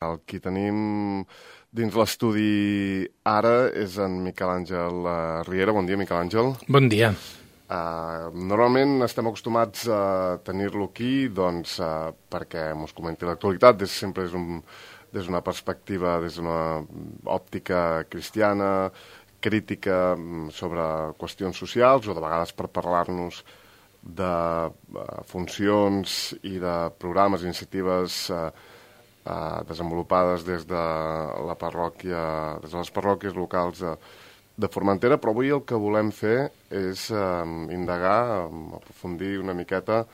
El qui tenim dins l'estudi ara és en Miquel Àngel Riera. Bon dia, Miquel Àngel. Bon dia. Normalment estem acostumats a tenir-lo aquí perquè ens comenti l'actualitat. Sempre és des d'una perspectiva, des d'una òptica cristiana, crítica sobre qüestions socials o de vegades per parlar-nos de funcions i de programes, iniciatives desenvolupades des de la parròquia, des de les parròquies locals de Formentera, però avui el que volem fer és indagar, aprofundir una miqueta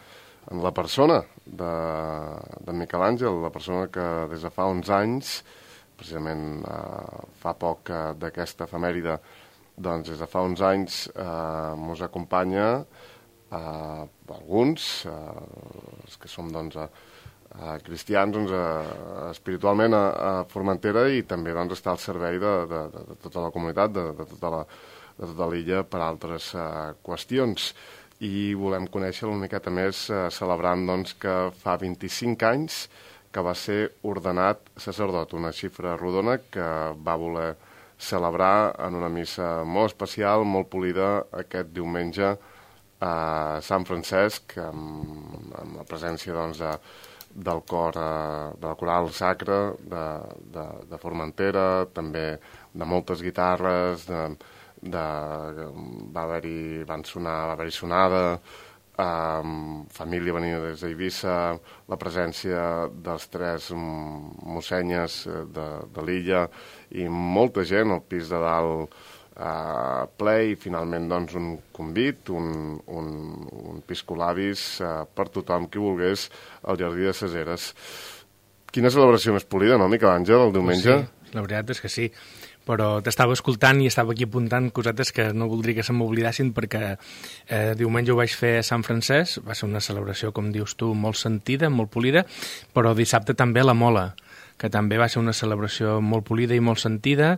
en la persona de Miquel Àngel, la persona que des de fa 11 anys, precisament fa poc d'aquesta efemèride, doncs des de fa 11 anys ens acompanya alguns, els que som cristians espiritualment a Formentera, i també està al servei de tota la comunitat, de tota l'illa per altres qüestions. I volem conèixer una miqueta més celebrant que fa 25 anys que va ser ordenat sacerdot, una xifra rodona que va voler celebrar en una missa molt especial, molt polida, aquest diumenge a Sant Francesc, amb la presència del cor, de la coral sacra de Formentera, també de moltes guitarres, va haver-hi sonada, família venida des d'Eivissa, la presència dels 3 mossenyes de l'illa i molta gent al pis de dalt ple, i finalment un convit, un piscolabis per tothom qui volgués al Jardí de ses Eres. Quina celebració més polida, no, Miquel Àngel, el diumenge? Sí, la veritat és que sí, però t'estava escoltant i estava aquí apuntant cosetes que no voldria que se m'oblidassin, perquè diumenge ho vaig fer a Sant Francesc, va ser una celebració, com dius tu, molt sentida, molt polida, però dissabte també a la Mola, que també va ser una celebració molt polida i molt sentida,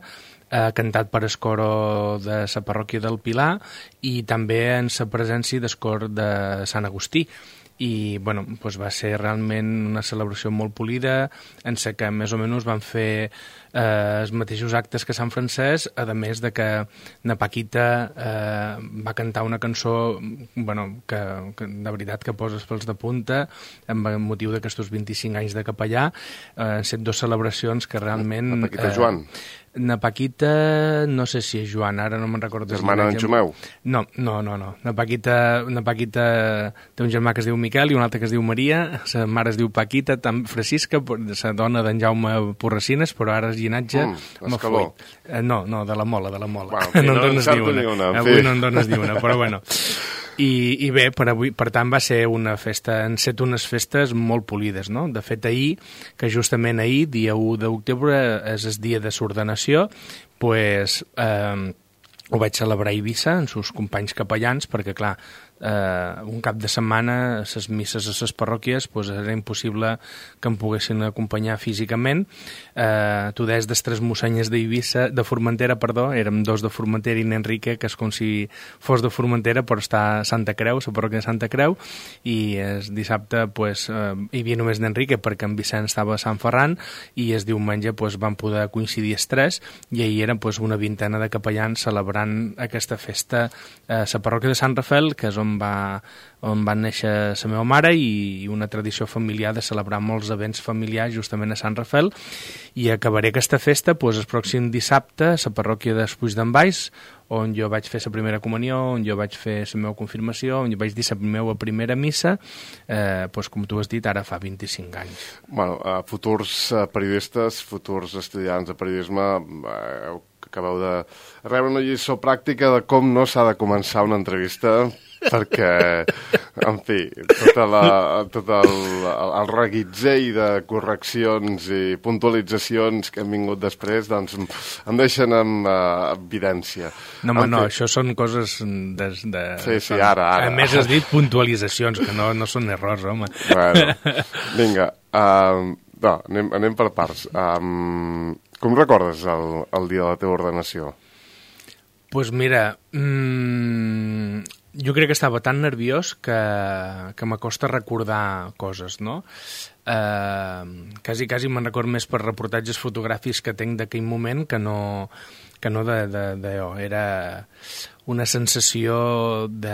cantat per escoro de la parròquia del Pilar i també en la presència d'escor de Sant Agustí. I va ser realment una celebració molt polida, en la que més o menys van fer els mateixos actes que Sant Francesc, a més de que na Paquita va cantar una cançó que de veritat que poses pels de punta amb motiu d'aquests 25 anys de capellà. Han set 2 celebracions que realment... Na Paquita Joan? Na Paquita, no sé si és Joan, ara no me'n recordo. Germana d'en Xumeu? No. Na Paquita té un germà que es diu Miquel i un altre que es diu Maria, la mare es diu Paquita, Francisca, la dona d'en Jaume Porracines, però ara és llinatge... Escaló? No, de la Mola. Bueno, no en dones ni una. Avui no en dones ni una, però bueno... I bé, per tant va ser una festa, han set unes festes molt polides, no? De fet, ahir, que justament ahir, dia 1 d'octubre, és el dia de l'ordenació, doncs ho vaig celebrar a Eivissa amb els companys capellans, perquè clar, un cap de setmana les misses a les parròquies era impossible que em poguessin acompanyar físicament. Tu deies dels 3 mossenyes d'Eivissa, de Formentera, érem 2 de Formentera i n'Enrique, que és com si fos de Formentera, però està a Santa Creu, la parròquia de Santa Creu, i el dissabte hi havia només n'Enrique perquè en Vicent estava a Sant Ferran, i el diumenge van poder coincidir els 3, i ahir eren una vintena de capellans celebrant aquesta festa a la parròquia de Sant Rafel, que és on va néixer la meva mare, i una tradició familiar de celebrar molts events familiars justament a Sant Rafel. I acabaré aquesta festa el pròxim dissabte a la parròquia d'Espuig d'en Baix, on jo vaig fer la primera comunió, on jo vaig fer la meva confirmació, on jo vaig dir la meva primera missa, com tu has dit, ara fa 25 anys. Futurs periodistes, futurs estudiants de periodisme, acabeu de rebre una lliçó pràctica de com no s'ha de començar una entrevista, perquè, en fi, tot el reguitzell de correccions i puntualitzacions que han vingut després, doncs em deixen en evidència. No, això són coses de... Sí, ara. A més has dit puntualitzacions, que no són errors, home. Bueno, vinga, anem per parts. Com recordes el dia de la teva ordenació? Doncs mira, jo crec que estava tan nerviós que m'acosta recordar coses, no? quasi me'n record més per reportatges fotogràfics que tenc d'aquell moment que no d'allò. Era una sensació de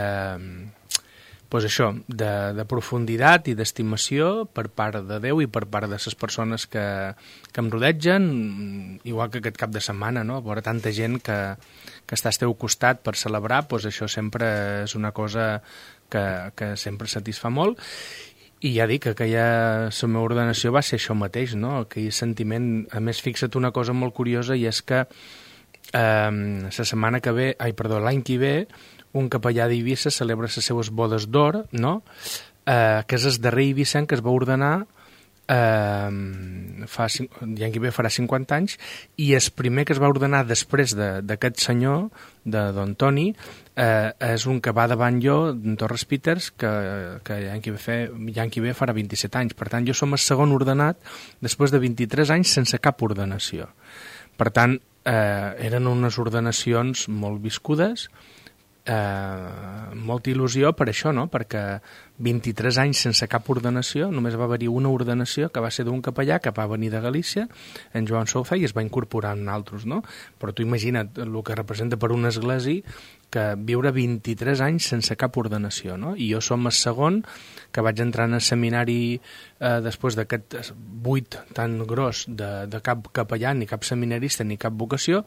profunditat i d'estimació per part de Déu i per part de les persones que em rodegen, igual que aquest cap de setmana, no? Veure tanta gent que està al teu costat per celebrar, doncs això sempre és una cosa que sempre satisfà molt. I ja dic que la meva ordenació va ser això mateix, no? Aquell sentiment. A més, fixa't una cosa molt curiosa, i és que l'any que ve, un capellà d'Eivissa celebra les seues bodes d'or, no? Que és el darrer eivissenc que es va ordenar l'any que ve farà 50 anys, i el primer que es va ordenar després d'aquest senyor, de Don Toni, és un que va davant jo, en Torres Peters, que l'any que ve farà 27 anys. Per tant, jo som el segon ordenat després de 23 anys sense cap ordenació. Per tant, eren unes ordenacions molt viscudes, molta il·lusió per això, no? Perquè 23 anys sense cap ordenació, només va haver-hi una ordenació que va ser d'un capellà que va venir de Galícia, en Joan Souza, i es va incorporar en altres, no? Però tu imagina't el que representa per una església que viure 23 anys sense cap ordenació, no? I jo som el segon que vaig entrar en el seminari després d'aquest buit tan gros de cap capellà, ni cap seminarista, ni cap vocació.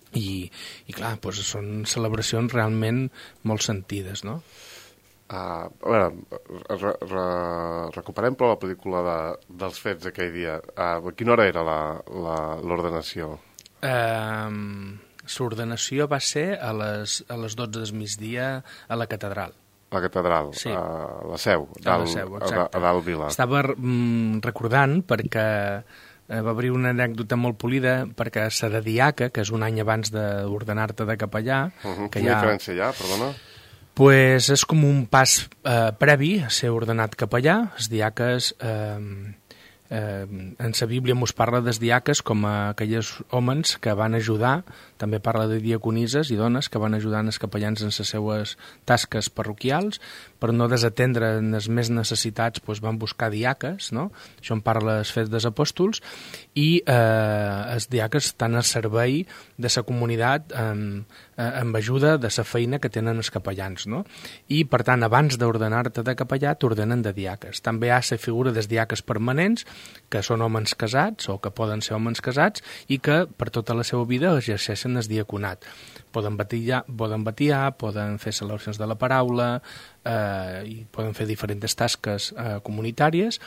I clar, doncs són celebracions realment molt sentides, no? A veure, recuperem però la pel·lícula dels fets d'aquell dia. A quina hora era l'ordenació? L'ordenació va ser a les 12 del migdia a la catedral. La catedral, sí. A la Seu, a dalt Vila. Estava recordant perquè va haver una anècdota molt polida, perquè la de diaca, que és un any abans d'ordenar-te de capellà... Quina diferència hi ha, perdona? Pues és com un pas previ a ser ordenat capellà. Els diaques, en la Bíblia mos parla dels diaques com aquells homes que van ajudar, també parla de diaconises i dones que van ajudar els capellans en les seues tasques parroquials, per no desatendre les més necessitats, doncs van buscar diaques, no? Això en parla els Fets dels Apòstols, i els diaques estan al servei de la comunitat amb ajuda de la feina que tenen els capellans, no? I, per tant, abans d'ordenar-te de capellà, t'ordenen de diaques. També hi ha la figura dels diaques permanents, que són homes casats, o que poden ser homes casats, i que per tota la seva vida exerceixen el diaconat. Poden batiar, poden fer celebracions de la paraula, i poden fer diferents tasques comunitàries,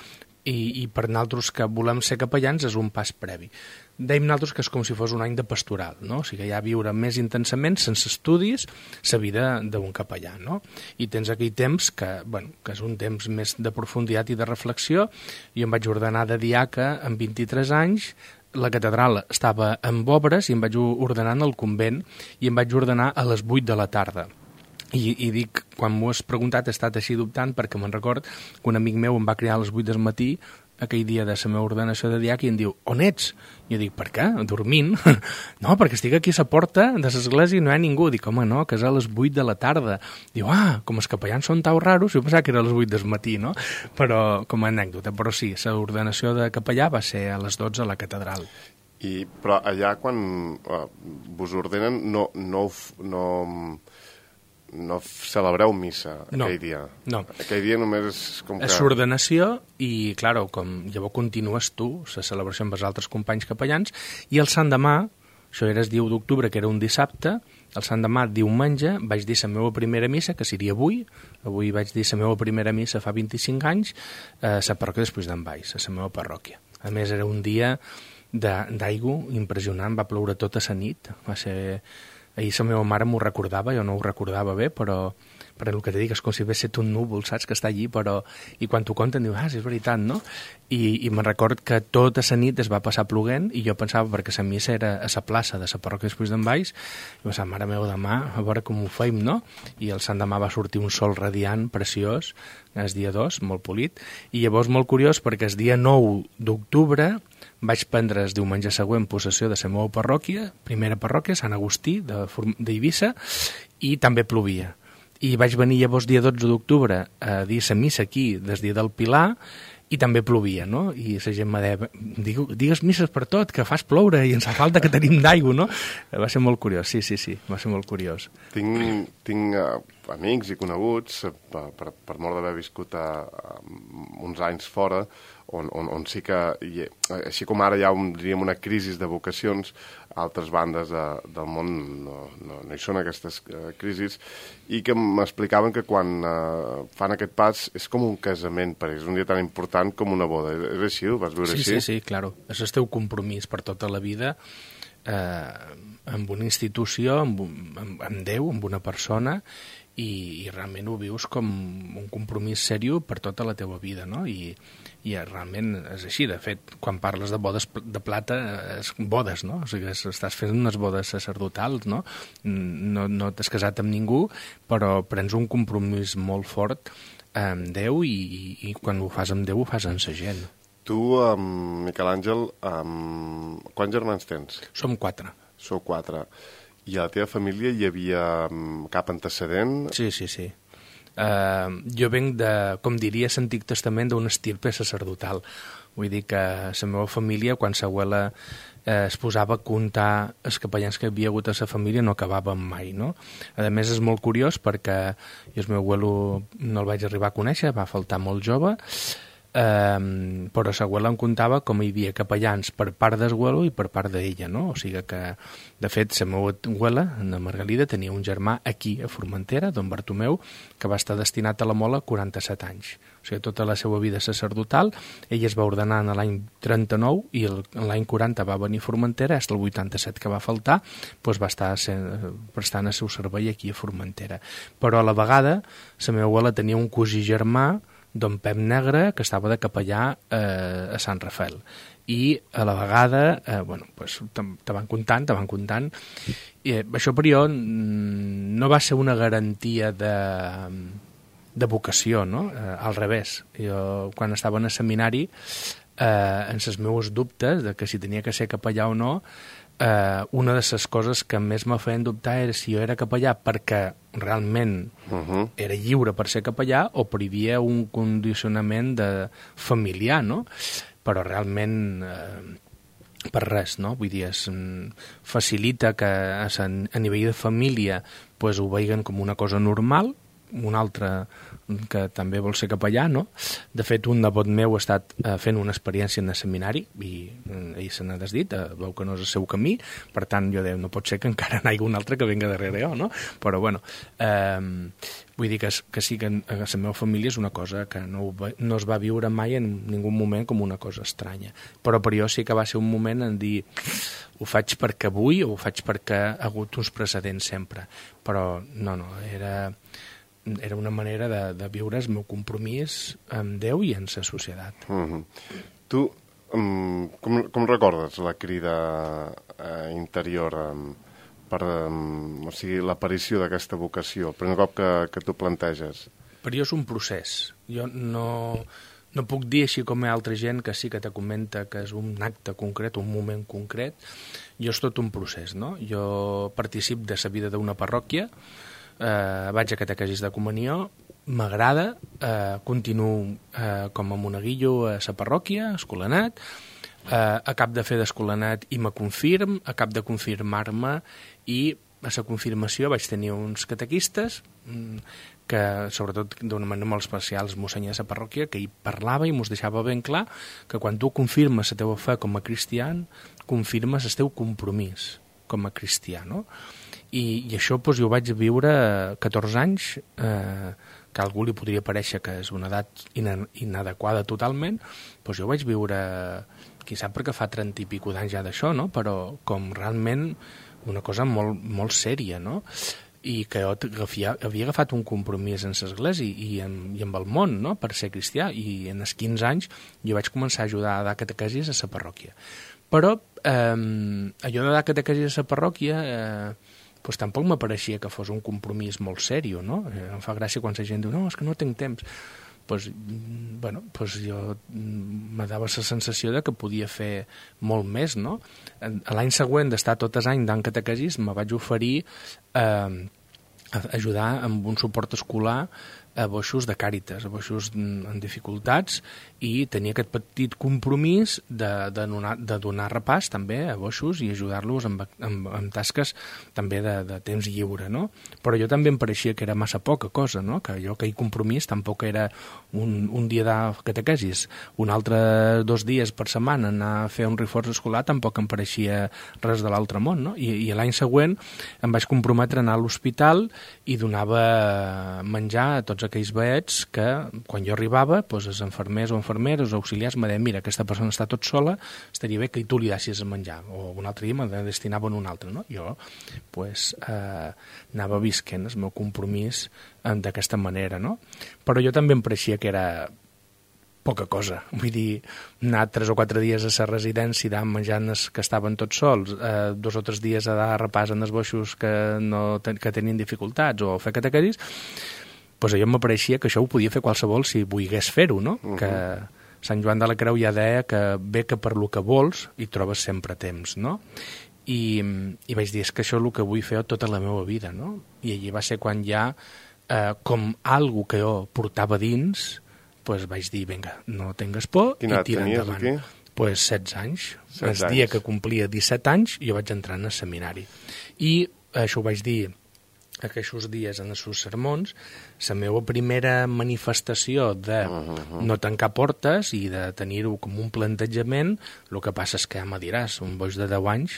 i per nosaltres que volem ser capellans és un pas previ. Dèiem nosaltres que és com si fos un any de pastoral, no? O sigui, ja viure més intensament, sense estudis, la vida d'un capellà, no? I tens aquell temps que és un temps més de profunditat i de reflexió. Jo em vaig ordenar de diaca amb 23 anys, la catedral estava amb obres i em vaig ordenar en el convent, i em vaig ordenar a les 8 de la tarda. I dic, quan m'ho has preguntat, he estat així dubtant, perquè me'n record que un amic meu em va cridar a les 8 del matí aquell dia de la meva ordenació de diaca i em diu, on ets? I jo dic, per què? Dormint? No, perquè estic aquí a la porta de l'església i no hi ha ningú. Dic, home, no, que és a les 8 de la tarda. Diu, com els capellans són tan raros, jo pensava que era a les 8 del matí, no? Però, com a anècdota, però sí, l'ordenació de capellà va ser a les 12 a la catedral. Però allà, quan vos ordenen, no celebreu missa aquell dia. No. Aquell dia només és com que... És l'ordenació i, clar, com llavors continues tu la celebració amb els altres companys capellans, i el Sant Demà, això era el 10 d'octubre, que era un dissabte, el Sant Demà, diumenge, vaig dir la meva primera missa, que seria avui vaig dir la meva primera missa fa 25 anys, a la parròquia després d'en Valls, a la meva parròquia. A més, era un dia d'aigua impressionant, va ploure tota la nit, va ser... Ahir la meva mare m'ho recordava, jo no ho recordava bé, però el que te dic és com si hagués estat un núvol, saps, que està allí, i quan t'ho conten diu, sí, és veritat, no? I me'n record que tota la nit es va passar ploguent, i jo pensava, perquè la missa era a la plaça de la parròquia després d'en Valls, i pensava, mare meva, demà, a veure com ho feim, no? I el Sant Demà va sortir un sol radiant, preciós, el dia 2, molt polit, i llavors molt curiós, perquè el dia 9 d'octubre vaig prendre el diumenge següent possessió de la meva parròquia, primera parròquia, Sant Agustí, d'Eivissa, i també plovia. I vaig venir llavors dia 12 d'octubre a dir la missa aquí, des dia del Pilar, i també plovia, no? I la gent me deia, digues misses per tot, que fas ploure i ens fa falta que tenim d'aigua, no? Va ser molt curiós, sí, va ser molt curiós. Tinc amics i coneguts, per mort d'haver viscut uns anys fora, on sí que, així com ara hi ha diríem una crisi de vocacions, altres bandes del món no hi són aquestes crisis, i que m'explicaven que quan fan aquest pas és com un casament per ells, un dia tan important com una boda. És així? Ho vas veure així? Sí, claro. És el teu compromís per tota la vida amb una institució, amb Déu, amb una persona, i realment ho vius com un compromís seriós per tota la teva vida, no? I realment és així. De fet, quan parles de bodes de plata, és bodes, no? O sigui, estàs fent unes bodes sacerdotals, no? No t'has casat amb ningú, però prens un compromís molt fort amb Déu i quan ho fas amb Déu ho fas amb sa gent. Tu, Miquel Àngel, quants germans tens? Som 4. Sou 4. I a la teva família hi havia cap antecedent? Sí. Jo venc de, com diria l'Antic Testament, d'una estirpe sacerdotal. Vull dir que la meva família, quan l'abuela es posava a comptar els capellans que havia hagut a la família, no acabàvem mai, no? A més, és molt curiós perquè jo el meu abuelo no el vaig arribar a conèixer, va faltar molt jove, però l'abuela em contava com hi havia capellans per part d'abuelo i per part d'ella, no? O sigui que, de fet, la meva abuela, la Margalida, tenia un germà aquí, a Formentera, don Bartomeu, que va estar destinat a la Mola 47 anys. O sigui, tota la seva vida sacerdotal, ell es va ordenar en l'any 39 i l'any 40 va venir a Formentera, fins al 87 que va faltar, doncs va estar prestant el seu servei aquí a Formentera. Però a la vegada, la meva abuela tenia un cosí germà, don Pep Negre, que estava de capellà a Sant Rafael. I a la vegada, te van comptant. I això per jo no va ser una garantia de vocació, no? Al revés. Jo, quan estava en el seminari, en els meus dubtes de que si tenia que ser capellà o no, una de les coses que més me feien dubtar era si jo era capellà perquè realment era lliure per ser capellà o per hi havia un condicionament familiar, no? Però realment per res, no? Vull dir, facilita que a nivell de família ho veiguen com una cosa normal, un altre que també vol ser capellà, no? De fet, un nebot meu ha estat fent una experiència en el seminari i ell se n'ha desdit, veu que no és el seu camí, per tant, jo deia, no pot ser que encara n'hi hagi un altre que venga darrere jo, no? Però, bueno, vull dir que sí que a la meva família és una cosa que no es va viure mai en ningú moment com una cosa estranya. Però per jo sí que va ser un moment en dir ho faig perquè vull o ho faig perquè ha hagut uns precedents sempre. Però no, era una manera de viure el meu compromís amb Déu i amb la societat. Tu, com recordes la crida interior o sigui, l'aparició d'aquesta vocació, el primer cop que tu planteges? Per jo és un procés. Jo no puc dir així com hi ha altra gent que sí que te comenta que és un acte concret, un moment concret. Jo és tot un procés, no? Jo participo de la vida d'una parròquia, vaig a catequesis de comunió, m'agrada, continuo com a monaguillo a la parròquia, escolanat, acab de fer d'escolanat i me confirm, acab de confirmar-me i a la confirmació vaig tenir uns catequistes que, sobretot d'una manera molt especial, el mossèn de la parròquia, que hi parlava i mos deixava ben clar que quan tu confirmes la teva fe com a cristià, confirmes el teu compromís com a cristià, no? I això jo ho vaig viure 14 anys, que a algú li podria parèixer que és una edat inadequada totalment, jo ho vaig viure, qui sap perquè fa 30 i pico d'anys ja d'això, no? Però com realment una cosa molt, molt sèria, no? I que jo havia agafat un compromís en l'església i amb el món, no? Per ser cristià, i en els 15 anys jo vaig començar a ajudar a dar catequesis a la parròquia. Però allò de dar catequesis a la parròquia tampoc m'apareixia que fos un compromís molt sèrio, no? Em fa gràcia quan la gent diu, no, és que no tinc temps. Jo me dava la sensació de que podia fer molt més, no? L'any següent d'estar tot els anys dant catequesis me vaig oferir a ajudar amb un suport escolar a boixos de Càritas, a boixos en dificultats, i tenia aquest petit compromís de donar repàs també a boixos i ajudar-los en tasques també de temps lliure, no? Però jo també em pareixia que era massa poca cosa, no? Que aquell compromís tampoc era un dia de catequesis, un altre 2 dies per setmana anar a fer un reforç escolar tampoc em pareixia res de l'altre món, no? I l'any següent em vaig comprometre a anar a l'hospital i donava menjar a tots aquells veets que quan jo arribava, doncs els infermers o infermeres o auxiliars me deien, mira, aquesta persona està tot sola, estaria bé que tu li deixis a menjar, o un altre dia me destinaven un altre, no? Jo anava visquent el meu compromís d'aquesta manera, no? Però jo també em pareixia que era poca cosa, vull dir, anar 3 o 4 dies a la residència i anar menjant que estaven tots sols, 2 o 3 dies a dar repàs en els boixos que tenien dificultats o fer catequesis, doncs a jo m'apareixia que això ho podia fer qualsevol si volgués fer-ho, no? Que Sant Joan de la Creu ja deia que bé que per lo que vols hi trobes sempre temps, no? I vaig dir, és que això és el que vull fer tota la meva vida, no? I allí va ser quan ja, com algo que jo portava dins, doncs vaig dir, vinga, no tingues por i tira endavant. Doncs 16 anys. El dia que complia 17 anys jo vaig entrar en el seminari. I això ho vaig dir aquests dies en els seus sermons, la meva primera manifestació de no tancar portes i de tenir-ho com un plantejament, el que passa és que ja me diràs, un boix de 10 anys,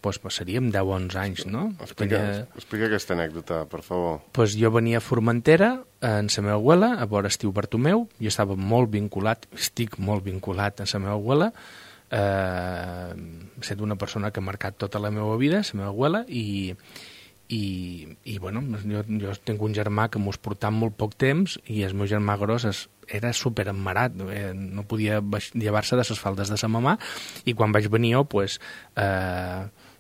doncs passaríem 10 o 11 anys, no? Explica aquesta anècdota, per favor. Doncs jo venia a Formentera, en la meva abuela, a veure Estiu Bartomeu, jo estava molt vinculat, estic molt vinculat a la meva abuela, he estat una persona que ha marcat tota la meva vida, la meva abuela, i bueno, jo tinc un germà que mos portava molt poc temps i el meu germà gros era superemmarat, no podia llevar-se de les faldes de sa mamà, i quan vaig venir jo, pues,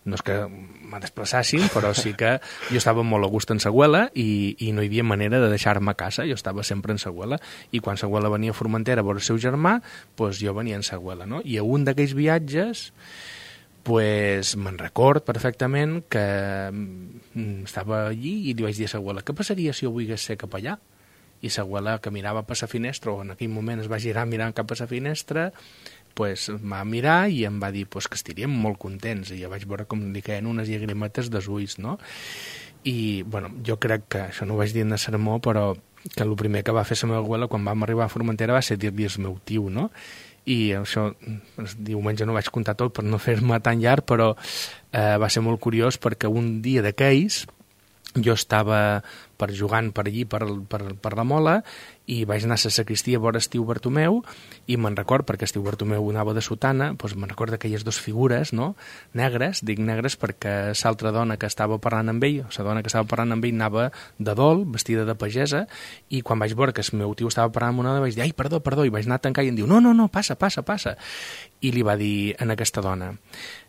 no és que me desplaçassin, però sí que jo estava molt a gust en sa abuela i no hi havia manera de deixar-me a casa, jo estava sempre en sa abuela, i quan sa abuela venia a Formentera a veure el seu germà, pues jo venia en sa abuela, no? I a un d'aquells viatges pues me'n record perfectament que estava allí i li vaig dir a l'abuela, què passaria si jo volgués ser cap allà? I l'abuela, que mirava per la finestra, o en aquell moment es va girar mirant cap a la finestra, pues va mirar i em va dir pues, que estaríem molt contents, i jo vaig veure com li caien unes llagrimetes dels ulls, no? I, bueno, jo crec que, això no ho vaig dir en el sermó, però que el primer que va fer la meva abuela quan vam arribar a Formentera va ser dir-li al meu tio, no? I això, diumenge no vaig contar tot per no fer-me tan llarg, però va ser molt curiós perquè un dia d'aquells jo estava jugant per allí, per la Mola, i vaig anar a la sacristia a veure Estiu Bartomeu, i me'n record, perquè Estiu Bartomeu anava de sotana, doncs me'n record d'aquelles 2 figures, no?, negres, dic negres perquè l'altra dona que estava parlant amb ell, la dona que estava parlant amb ell anava de dol, vestida de pagesa, i quan vaig veure que el meu tio estava parlant amb una dona, vaig dir, ai, perdó, i vaig anar a tancar, i em diu, no, passa, i li va dir a aquesta dona,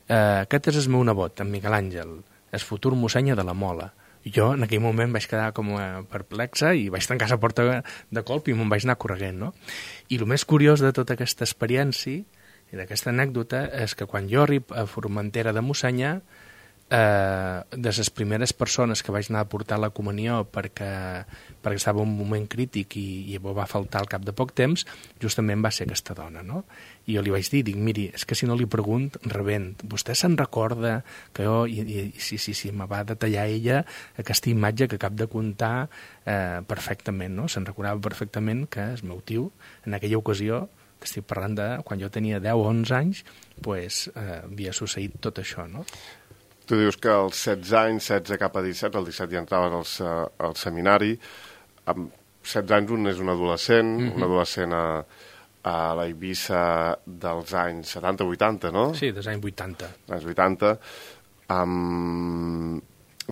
aquest és el meu nebot, en Miquel Àngel, el futur mossenya de la Mola. Jo en aquell moment vaig quedar com perplexa i vaig tancar la porta de colp i me'n vaig anar corregent, no? I el més curiós de tota aquesta experiència i d'aquesta anècdota és que quan jo arribo a Formentera de Mossenya, de les primeres persones que vaig anar a portar la comunió perquè estava en un moment crític i va faltar al cap de poc temps, justament va ser aquesta dona, no? I jo li vaig dir, miri, és que si no li pregunt, rebent, vostè se'n recorda que jo, i sí, me va detallar ella aquesta imatge que acabo de contar perfectament, no? Se'n recordava perfectament que el meu tio, en aquella ocasió, estic parlant de quan jo tenia 10 o 11 anys, pues, havia succeït tot això, no? Tu dius que als 16 anys, 16 cap a 17, al 17 ja entraves al seminari, amb 16 anys un és un adolescent, un adolescent a la Eivissa dels anys 70-80, no? Sí, dels anys 80. Anys 80.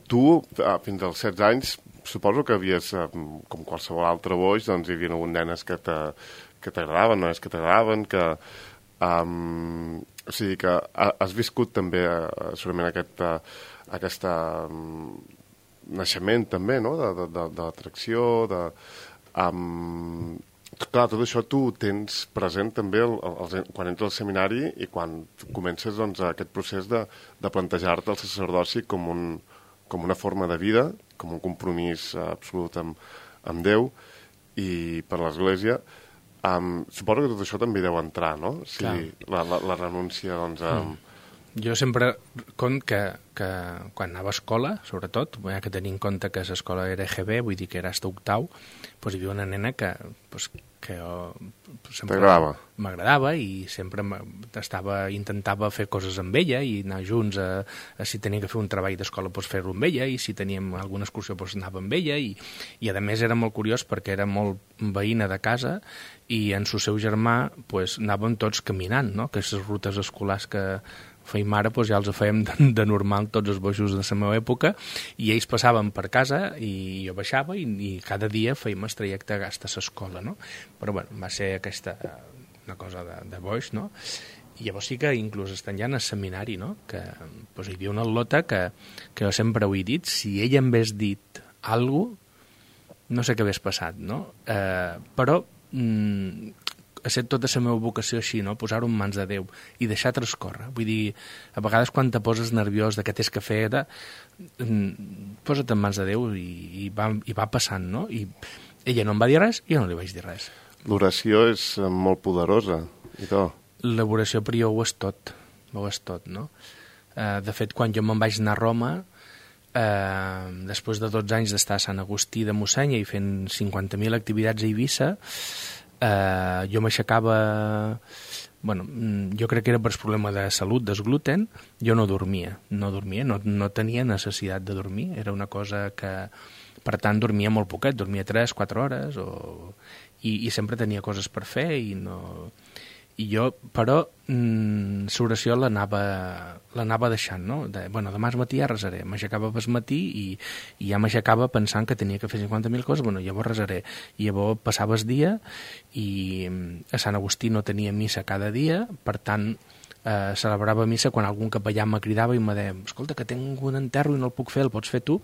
Tu, fins als 16 anys, suposo que havies, com qualsevol altre boix, doncs hi havia hagut nenes que t'agradaven, nois que t'agradaven, que... o sigui que has viscut també segurament aquest naixement també, no?, de l'atracció, clar, tot això tu ho tens present també quan entres al seminari i quan comences doncs, aquest procés de plantejar-te el sacerdoci com una forma de vida, com un compromís absolut amb Déu, i per l'Església, suposo que tot això també deu entrar, no? Sí, la renúncia, doncs... Jo sempre conto que quan anava a escola, sobretot, hi ha que tenir en compte que l'escola era EGB, vull dir que era hasta octau, doncs hi havia una nena que m'agradava i sempre intentava fer coses amb ella i anar junts si tenia que fer un treball d'escola fer-lo amb ella, i si teníem alguna excursió anava amb ella, i a més era molt curiós perquè era molt veïna de casa i en el seu germà anàvem tots caminant, no? Aquestes rutes escolars que fèiem ara ja els fèiem de normal tots els bojos de la meva època, i ells passaven per casa i jo baixava i cada dia fèiem el trajecte a l'escola, no? Però bueno, va ser aquesta una cosa de boix, no? I llavors sí que inclús estan ja en el seminari, no? Que hi havia una al·lota que jo sempre ho he dit, si ella em hagués dit alguna cosa, no sé què hagués passat, no? Però ha set tota la meva vocació així, no? Posar-ho en mans de Déu i deixar transcórrer. Vull dir, a vegades quan te poses nerviós de què tens que fer, posa't en mans de Déu i va passant, no? I ella no em va dir res i jo no li vaig dir res. L'oració és molt poderosa, i tot. L'oració per jo ho és tot, no? De fet, quan jo me'n vaig anar a Roma, després de 12 anys d'estar a Sant Agustí de Mossenya i fent 50.000 activitats a Eivissa, jo m'aixecava, jo crec que era per problema de salut, del gluten, jo no dormia, no tenia necessitat de dormir, era una cosa que, per tant, dormia molt poquet, dormia 3-4 hores, i sempre tenia coses per fer, i jo, però, l'oració l'anava deixant, no? Demà al matí ja resaré. M'aixecava pel matí i ja m'aixecava pensant que tenia que fer 50.000 coses, llavors resaré. I llavors passava el dia i a Sant Agustí no tenia missa cada dia, per tant, celebrava missa quan algun capellà me cridava i me deia, escolta, que tinc un enterro i no el puc fer, el pots fer tu?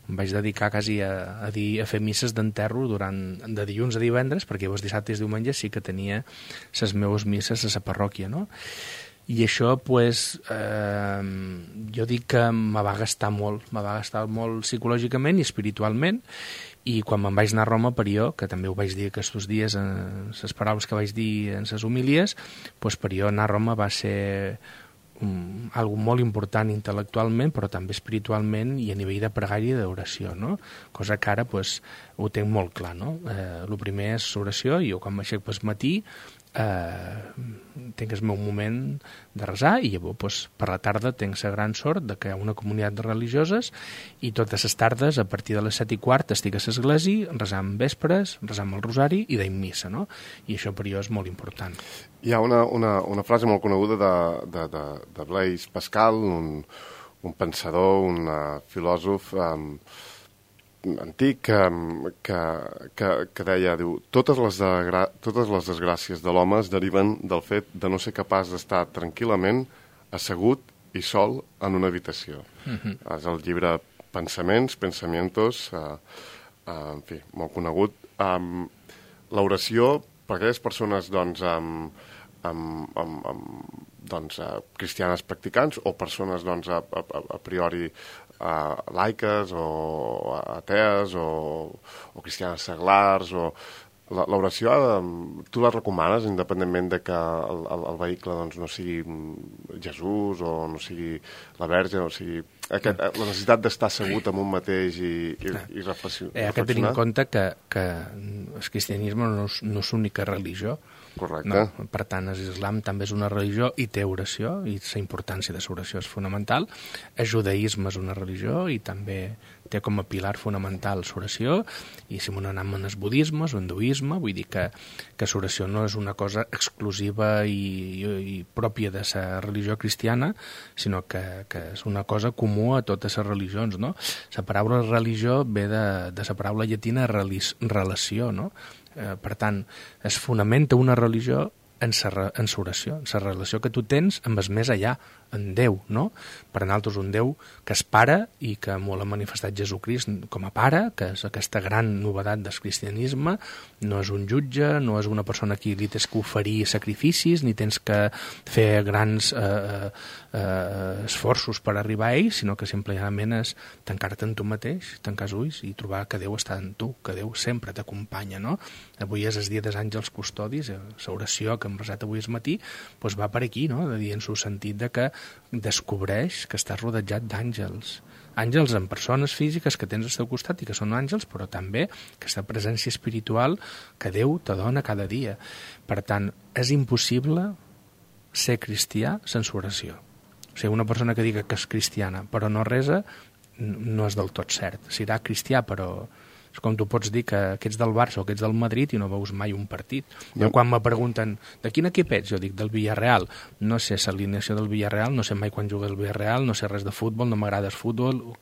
Em vaig dedicar quasi a fer misses d'enterro de dilluns a divendres, perquè llavors dissabtes i diumenges sí que tenia les meves misses a la parròquia, no? I això, jo dic que me va gastar molt psicològicament i espiritualment, i quan me'n vaig anar a Roma, per jo, que també ho vaig dir aquests dies en les paraules que vaig dir en les homilies, per jo anar a Roma va ser algo molt important intel·lectualment, però també espiritualment i a nivell de pregària i d'oració, no? Cosa que ara ho tinc molt clar, no? El primer és l'oració, i jo quan m'aixec pel matí tinc el meu moment de resar, i llavors per la tarda tinc la gran sort de que hi ha una comunitat de religioses i totes les tardes a partir de les 7:15 estic a l'església resant vespres, resant el rosari i deim missa, no? I això per jo és molt important. Hi ha una frase molt coneguda de Blaise Pascal, un pensador, un filòsof antic que deia, diu, totes les desgràcies de l'home es deriven del fet de no ser capaç d'estar tranquil·lament assegut i sol en una habitació. És el llibre Pensamientos, en fi, molt conegut. L'oració per aquelles persones cristianes practicants o persones a priori laiques o atees o cristianes seglars, l'oració tu la recomanes independentment de que el vehicle no sigui Jesús o no sigui la Verge, o sigui la necessitat d'estar assegut en un mateix i reflexionar. Hay que tenir en compte que el cristianisme no és l'única religió. Correcte. No? Per tant, l'islam també és una religió i té oració, i la importància de l'oració és fonamental. El judaïsme és una religió i també té com a pilar fonamental l'oració, i si anem en el budisme, l'hinduisme, vull dir que l'oració no és una cosa exclusiva i pròpia de la religió cristiana, sinó que és una cosa comú a totes les religions, no? La paraula religió ve de la paraula llatina relació, no? Per tant, es fonamenta una religió en l'oració, en la relació que tu tens amb el més allà, en Déu, no? Per a nosaltres un Déu que és pare i que molt ha manifestat Jesucrist com a pare, que és aquesta gran novetat del cristianisme, no és un jutge, no és una persona a qui li tens que oferir sacrificis, ni tens que fer grans esforços per arribar a ell, sinó que simplement és tancar-te en tu mateix, tancar els ulls i trobar que Déu està en tu, que Déu sempre t'acompanya, no? Avui és el dia dels àngels custodis, l'oració que hem resat avui al matí, doncs va per aquí, no? De dir en el sentit de que descobreix que estàs rodejat d'àngels. Àngels en persones físiques que tens al teu costat i que són àngels, però també aquesta presència espiritual que Déu te dona cada dia. Per tant, és impossible ser cristià sense oració. O sigui, una persona que diga que és cristiana però no resa, no és del tot cert. Serà cristià, però és com tu pots dir que ets del Barça o que ets del Madrid i no veus mai un partit. Jo quan me pregunten de quin equip ets, jo dic del Villarreal. No sé l'alineació del Villarreal, no sé mai quan juga el Villarreal, no sé res de futbol, no m'agrada el futbol.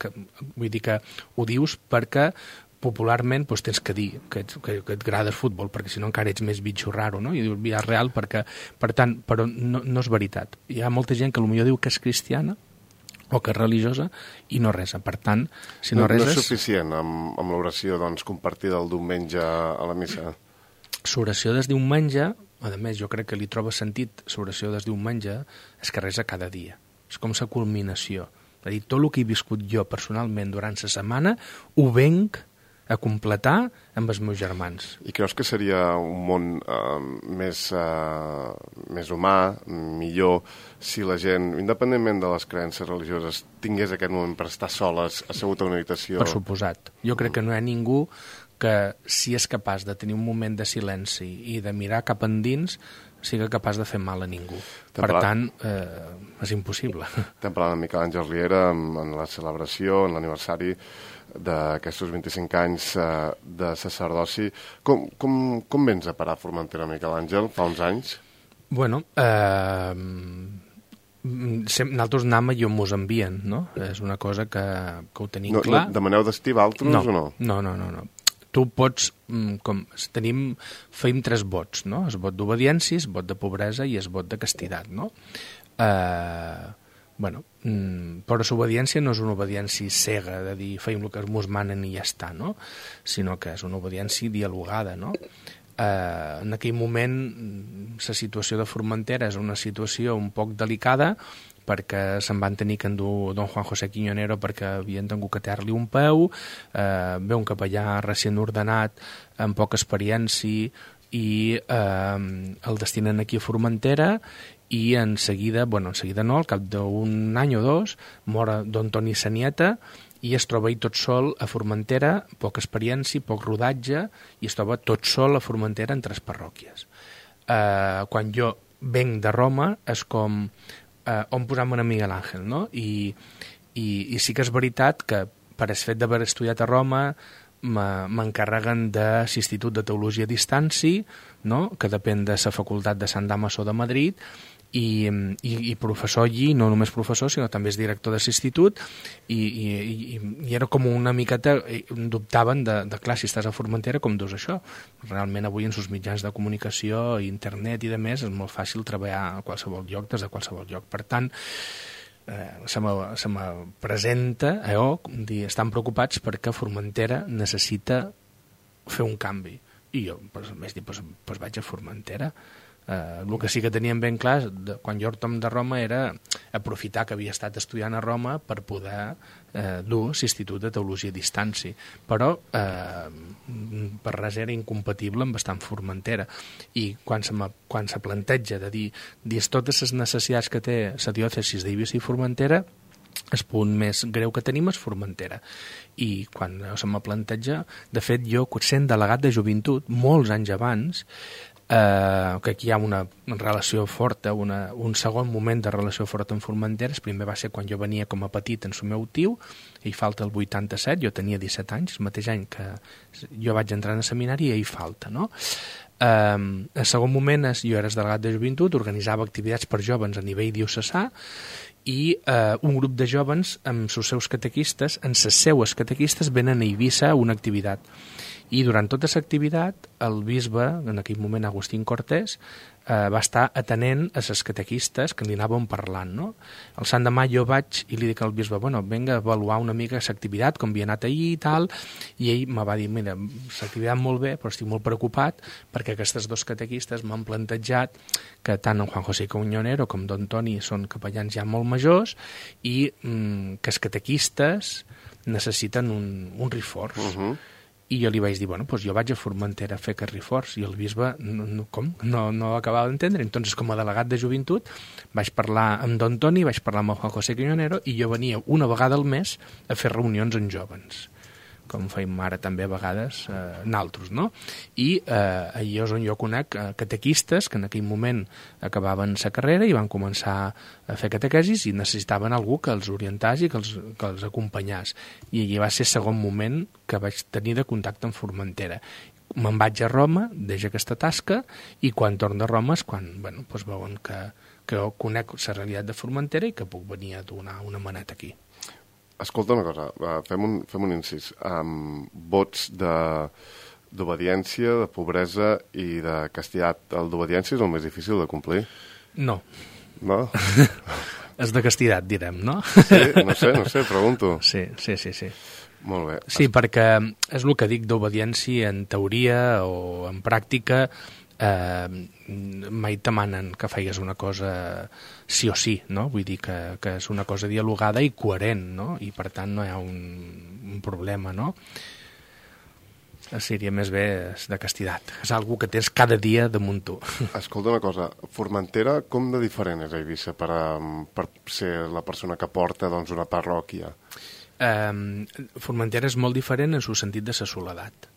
Vull dir que ho dius perquè popularment doncs, tens que dir que et agrada el futbol, perquè si no encara ets més bitxo raro, no? I dius Villarreal perquè... Per tant, però no és veritat. Hi ha molta gent que potser diu que és cristiana o que és religiosa i no resa. Per tant, si no reses... No és suficient amb l'oració compartida el diumenge a la missa? L'oració del diumenge, a més, jo crec que li troba sentit l'oració del diumenge, és que resa cada dia. És com la culminació. És a dir, tot el que he viscut jo personalment durant la setmana ho venc a completar amb els meus germans. I creus que seria un món més humà, millor, si la gent, independentment de les creences religioses, tingués aquest moment per estar soles, assegut a una habitació? Per suposat. Jo crec que no hi ha ningú que, si és capaç de tenir un moment de silenci i de mirar cap endins, sigui capaç de fer mal a ningú. Per tant, és impossible. Estem parlant amb Miquel Àngel Riera en la celebració, en l'aniversari d'aquests 25 anys de sacerdoci. Com vens a parar a Formentera, Miquel Àngel, fa uns anys? Bueno, nosaltres anem i on mos envien, no? És una cosa que ho tenim clar. Demaneu destí d'altres o no? No. Tu pots, feim 3 vots, no? El vot d'obediència, el vot de pobresa i el vot de castitat, no? Però l'obediència no és una obediència cega, de dir feim el que mos manen i ja està, no? Sinó que és una obediència dialogada, no? En aquell moment la situació de Formentera és una situació un poc delicada perquè se'n van tenir que endur don Juan José Quiñonero perquè havien tingut que aterrar-li un peu, ve un capellà recient ordenat amb poca experiència i el destinen aquí a Formentera i en seguida no, al cap d'un any o dos, mor don Toni Sanieta i es troba ell tot sol a Formentera, poca experiència, poc rodatge, i es troba tot sol a Formentera en 3 parròquies. Quan jo venc de Roma és com on posar-me a Miguel Àngel, no? I sí que és veritat que per el fet d'haver estudiat a Roma m'encarreguen de l'Institut de Teologia a Distància, no? Que depèn de la facultat de Sant Damaso de Madrid, i professor allí, no només professor, sinó també és director de l'institut, i era com una miqueta, dubtaven de clar, si estàs a Formentera, com dius això? Realment avui en els mitjans de comunicació, internet i de més, és molt fàcil treballar a qualsevol lloc, des de qualsevol lloc. Per tant, se me presenta estan preocupats perquè Formentera necessita fer un canvi. I jo, vaig dir, vaig a Formentera. El que sí que teníem ben clar quan jo tornem de Roma era aprofitar que havia estat estudiant a Roma per poder dur l'Institut de Teologia a Distància, però per res era incompatible amb estar en Formentera. I quan se planteja de dir totes les necessitats que té la diòcesi d'Eivissa i Formentera, el punt més greu que tenim és Formentera. I quan se me planteja, de fet jo, sent delegat de joventut molts anys abans, que aquí hi ha una relació forta, un segon moment de relació forta amb Formentera. El primer va ser quan jo venia com a petit en el meu tio, ell falta el 87, jo tenia 17 anys, el mateix any que jo vaig entrar en el seminari, i ell falta, no? El segon moment és, jo era delegat de joventut, organitzava activitats per joves a nivell diocesà, i un grup de joves amb els seus catequistes, en les seues catequistes, venen a Eivissa a una activitat. I durant tota l'activitat, el bisbe, en aquell moment Agustín Cortés, va estar atenent a les catequistes que li anaven parlant, no? El sant demà jo vaig i li dic al bisbe, bueno, vinga a avaluar una mica l'activitat, com havia anat ahir i tal, i ell me va dir, mira, l'activitat molt bé, però estic molt preocupat perquè aquestes dos catequistes m'han plantejat que tant en Juan José Cuñonero com don Toni són capellans ja molt majors i que els catequistes necessiten un reforç. I jo li vaig dir, bueno, doncs jo vaig a Formentera a fer aquest reforç, i el bisbe, no acabava d'entendre. Entonces, com a delegat de joventut, vaig parlar amb don Toni, vaig parlar amb el Juan José Cuñonero, i jo venia una vegada al mes a fer reunions amb jóvens, com feim ara també a vegades naltros, no? I allò és on jo conec catequistes que en aquell moment acabaven la carrera i van començar a fer catequesis i necessitaven algú que els orientàs i que els acompanyàs. I allí va ser el segon moment que vaig tenir de contacte amb Formentera. Me'n vaig a Roma, deixo aquesta tasca, i quan torno a Roma és quan doncs veuen que conec la realitat de Formentera i que puc venir a donar una maneta aquí. Escolta una cosa, fem un incís. Vots d'obediència, de pobresa i de castigat. El d'obediència és el més difícil de complir? No. No? És de castigat, direm, no? Sí, no sé, pregunto. Sí. Molt bé. Sí, perquè és el que dic d'obediència en teoria o en pràctica, mai et demanen que feigues una cosa sí o sí, no? Vull dir que és una cosa dialogada i coherent, no? I per tant no hi ha un problema, no? Seria més bé de castigat. És algo que tens cada dia damunt tu. Escolta una cosa, Formentera com de diferent és a Eivissa per ser la persona que porta una parròquia? Formentera és molt diferent en el sentit de la soledat.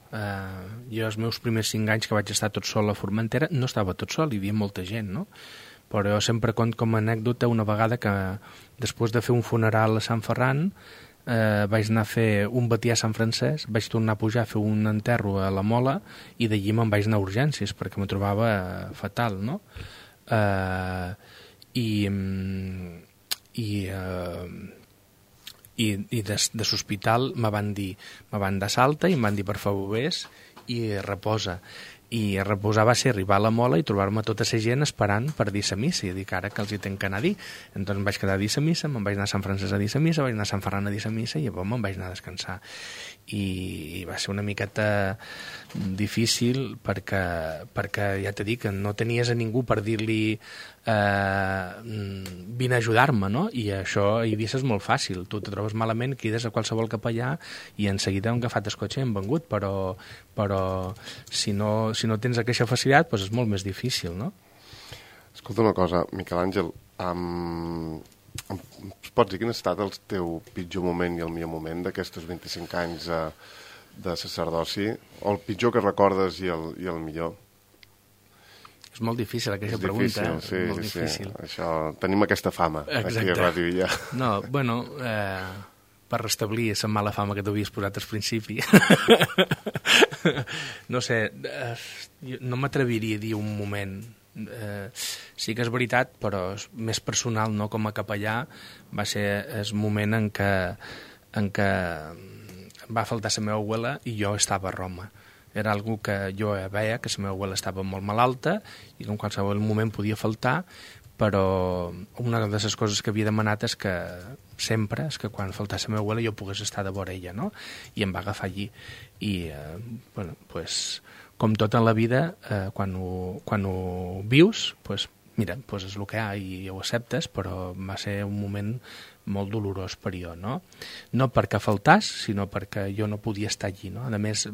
Jo els meus primers 5 anys que vaig estar tot sol a Formentera no estava tot sol, hi havia molta gent, no? Però jo sempre conto com a anècdota una vegada que després de fer un funeral a Sant Ferran vaig anar a fer un batí a Sant Francesc, vaig tornar a pujar a fer un enterro a la Mola i d'allí me'n vaig anar a urgències perquè me trobava fatal, no? I de l'hospital me van dar salta i em van dir per favor vés i reposa. I reposar va ser arribar a la Mola i trobar-me tota la gent esperant per dir la missa i dic ara que els hi tenc que anar a dir. Entonces em vaig quedar a dir la missa, me'n vaig anar a Sant Francesc a dir la missa, vaig anar a Sant Ferran a dir la missa i llavors me'n vaig anar a descansar. I va ser una miqueta difícil perquè ja t'he dit que no tenies a ningú per dir-li vine a ajudar-me, no? I això a Eivissa és molt fàcil, tu te trobes malament, crides a qualsevol capellà i en seguida han agafat el cotxe i han vengut, però si no tens aquesta facilitat doncs és molt més difícil, no? Escolta una cosa, Miquel Àngel, pots dir quin ha estat el teu pitjor moment i el millor moment d'aquests 25 anys de sacerdoci? O el pitjor que recordes i el millor? És molt difícil aquesta pregunta. Sí, és molt difícil. Això, tenim aquesta fama aquí a Ràdio Illa. No, bueno, per restablir la mala fama que t'havies posat al principi. No sé, no m'atreviria a dir un moment. Sí que és veritat, però és més personal, no? Com a capellà va ser el moment en què va faltar la meva abuela i jo estava a Roma. Era algo que jo veia, que la meva abuela estava molt malalta i que en qualsevol moment podia faltar, però una de les coses que havia demanat és que quan faltava la meva abuela jo pogués estar de vora ella, no? I em va agafar allí. I, bueno, pues, com tot en la vida, quan ho vius, pues, mira, pues és el que hi ha i ho acceptes, però va ser un moment molt dolorós per jo, no? No perquè faltàs, sinó perquè jo no podia estar allí, no? A més,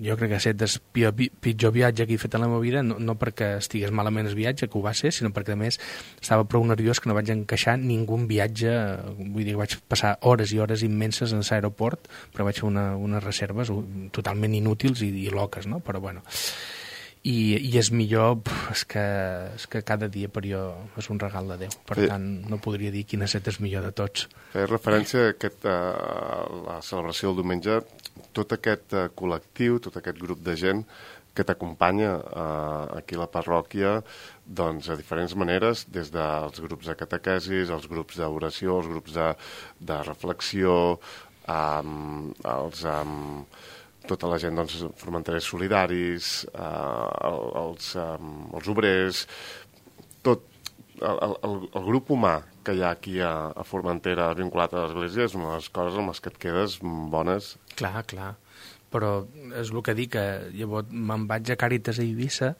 jo crec que ha estat el pitjor viatge que he fet a la meva vida, no perquè estigués malament el viatge, que ho va ser, sinó perquè a més estava prou nerviós que no vaig encaixar ningú viatge, vull dir, vaig passar hores i hores immenses en l'aeroport, però vaig fer unes reserves totalment inútils i loques, no? Però bueno, i és millor, és que cada dia per jo és un regal de Déu, per tant no podria dir quin ha estat el millor de tots. Fes referència a la celebració del diumenge, tot aquest col·lectiu, tot aquest grup de gent que t'acompanya aquí a la parròquia, doncs de diferents maneres, des dels grups de catequesis, els grups d'oració, els grups de reflexió, els tota la gent, doncs, formenterers solidaris, els obrers, tot el grup humà que hi ha aquí a Formentera vinculat a l'església és una de les coses amb les que et quedes bones. Clar, però és el que dic, que llavors me'n vaig a Càritas a Eivissa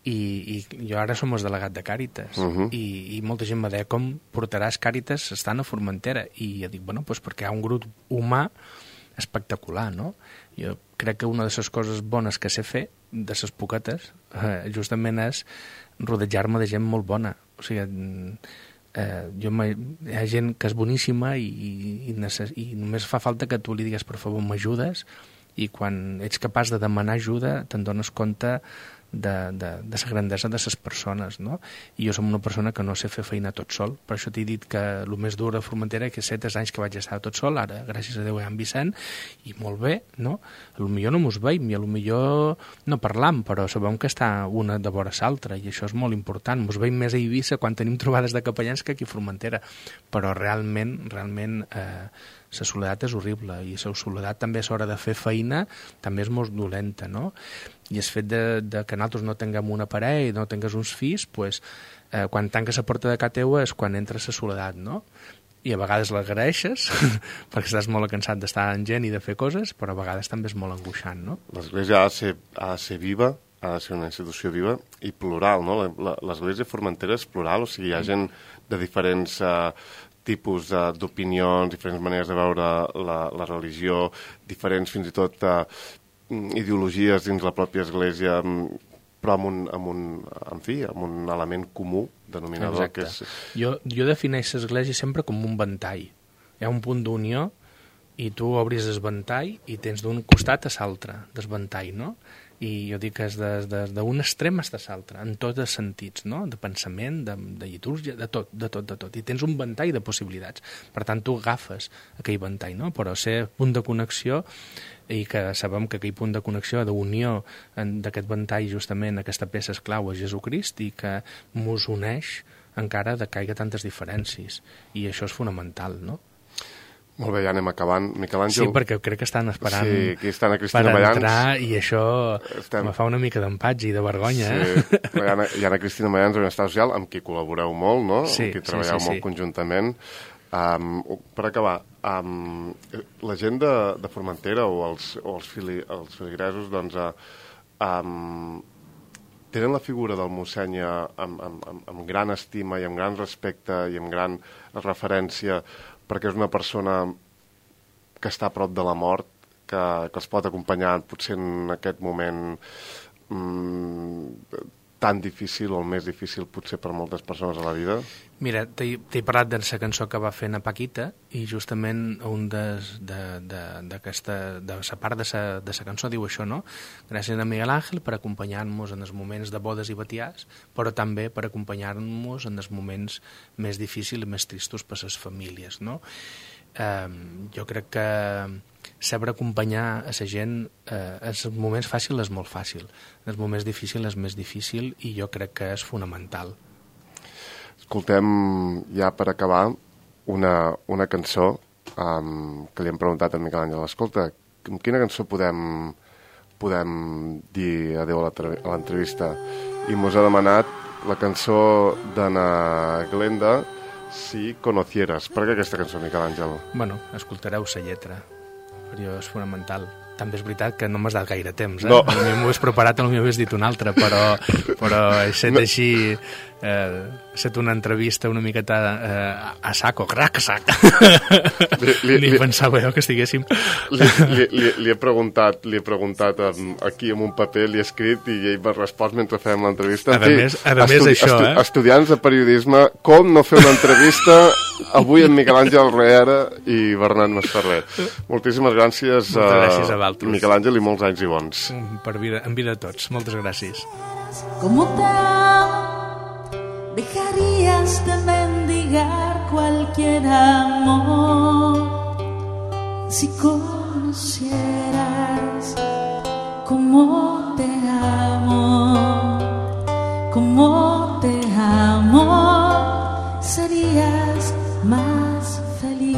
i jo ara som el delegat de Càritas i molta gent me deia com portaràs Càritas estant a Formentera, i jo dic, bueno, doncs perquè hi ha un grup humà espectacular, no? Jo crec que una de les coses bones que sé fer, de les poquetes, justament és rodejar-me de gent molt bona. O sigui, hi ha gent que és boníssima i només fa falta que tu li digues, per favor, m'ajudes, i quan ets capaç de demanar ajuda te'n dones compte de la grandesa de les persones, no? I jo som una persona que no sé fer feina tot sol, per això t'he dit que el més dur a Formentera que 7 anys que vaig estar tot sol, ara gràcies a Déu hi ha en Vicent, i molt bé, no? Potser no mos veiem i potser no parlam, però sabem que està una de vora l'altra, i això és molt important. Mos veiem més a Eivissa quan tenim trobades de capellans que aquí a Formentera, però realment la soledat és horrible, i la soledat també a l'hora de fer feina també és molt dolenta, no? I el fet de que nosaltres no tinguem una parella i no tingues uns fills, pues, quan tanques la porta de casa teua és quan entra la soledat, no? I a vegades l'agraeixes perquè estàs molt cansat d'estar en gent i de fer coses, però a vegades també és molt angoixant, no? L'església ha de ser viva, ha de ser una institució viva i plural, no? L'església Formentera és plural, o sigui, hi ha gent de diferents tipus d'opinions, diferents maneres de veure la religió, diferents fins i tot ideologies dins la pròpia església, però amb un element comú denominador. Exacte. Que és... Jo defineixo l'església sempre com un ventall. Hi ha un punt d'unió i tu obris el ventall i tens d'un costat a l'altre del ventall, no? I jo dic que és d'un extrem a l'altre, en tots els sentits, no? De pensament, de litúrgia, de tot. I tens un ventall de possibilitats. Per tant, tu agafes aquell ventall, no? Però ser punt de connexió, i que sabem que aquell punt de connexió, d'unió d'aquest ventall, justament aquesta peça és clau a Jesucrist, i que mos uneix encara de que hi ha tantes diferències. I això és fonamental, no? Molt bé, ja anem acabant. Miquel Àngel... Sí, perquè crec que estan esperant estan a per entrar, i això me fa una mica d'empatge i de vergonya. Sí. Hi ha a Cristina Mayans, Benestar Social, amb qui col·laboreu molt, no? Sí, amb qui treballeu molt conjuntament. Per acabar, la gent de Formentera o els feligresos, doncs, tenen la figura del mossèn amb gran estima i amb gran respecte i amb gran referència, perquè és una persona que està a prop de la mort, que els pot acompanyar potser en aquest moment tan difícil o el més difícil potser per moltes persones a la vida? Mira, t'he parlat de la cançó que va fer na Paquita, i justament un de la part de la cançó diu això, no? Gràcies a Miguel Ángel per acompanyar-nos en els moments de bodes i batiars, però també per acompanyar-nos en els moments més difícils i més tristos per les famílies, no? Jo crec que saber acompanyar a la gent en els moments fàcils és molt fàcil, en els moments difícils és més difícil, i jo crec que és fonamental. Escoltem, ja per acabar, una cançó que li hem preguntat a Miquel Àngel. Escolta, amb quina cançó podem dir adéu a l'entrevista? I mos ha demanat la cançó d'Anna Glenda, Si conocieras. Per què aquesta cançó, Miquel Àngel? Bueno, escoltareu la lletra, per jo és fonamental. També és veritat que no m'has dat gaire temps, No. Potser m'ho has preparat, potser m'ho havies dit una altra, però he set així, ha set una entrevista una miqueta a saco, crac, sac. Ni pensava jo que estiguéssim... Li he preguntat aquí amb un paper, li he escrit, i ell m'ha respost mentre fèiem l'entrevista. A més, això, estudiants de periodisme, com no fer una entrevista avui amb Miquel Àngel Reera i Bernat Masferrer. Moltíssimes gràcies, moltes gràcies a vosaltres, Miquel Àngel, i molts anys i bons. En vida a tots. Moltes gràcies. ¿Cómo te dejarías de mendigar cualquier amor si conocieras cómo te amo, serías más feliz.